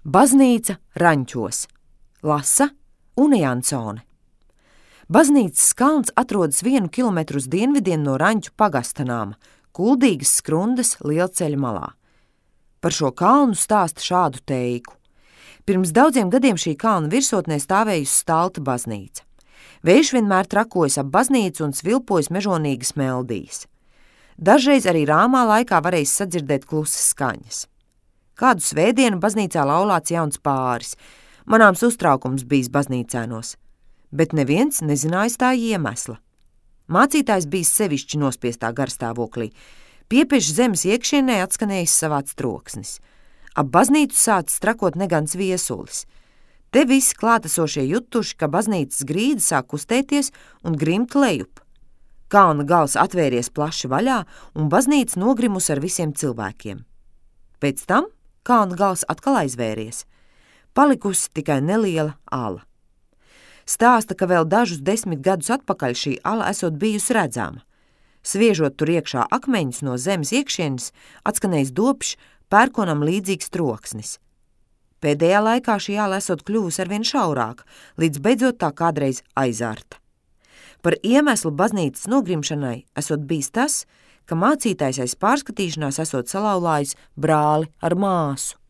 Baznīca Raņķos. Lasa Une Jansone. Baznīcas kalns atrodas 1 kilometru uz dienvidiem no Raņķu pagasta nama, Kuldīgas Skrundas lielceļa malā. Par šo kalnu stāsta šādu teiku. Pirms daudziem gadiem šī kalna virsotnē stāvējusi Stalta baznīca. Vējš vienmēr trakojas ap baznīcu un svilpojas mežonīgas meldijas. Dažreiz arī rāmā laikā varēja sadzirdēt klusas skaņas. Kādu svētdienu baznīcā laulāts jauns pāris. Manāms uztraukums bijis baznīcēnos, bet neviens nezinājis tā iemesla. Mācītājs bijis sevišķi nospiestā garstāvoklī. Piepieši zemes iekšienē atskanējis savāds troksnis. Ap baznīcu sācis trakot negans viesulis. Te visi klātesošie jutuši, ka baznīcas grīda sāk kustēties un grimt lejup. Kalna gals atvēries plaši vaļā un baznīca nogrimus ar visiem cilvēkiem. Pēc tam kalna gals atkal aizvēries. Palikusi tikai neliela ala. Stāsta, ka vēl dažus 10 gadus atpakaļ šī ala esot bijusi redzama. Sviežot tur iekšā akmeņus no zemes iekšienes, atskanējis dobšs, pērkonam līdzīgs troksnis. Pēdējā laikā šī ala esot kļuvusi arvien šaurāka, līdz beidzot tā kādreiz aizārta. Par iemeslu baznīcas nogrimšanai esot bijis tas, ka mācītājs aiz pārskatīšanās esot salauzājis brāli ar māsu.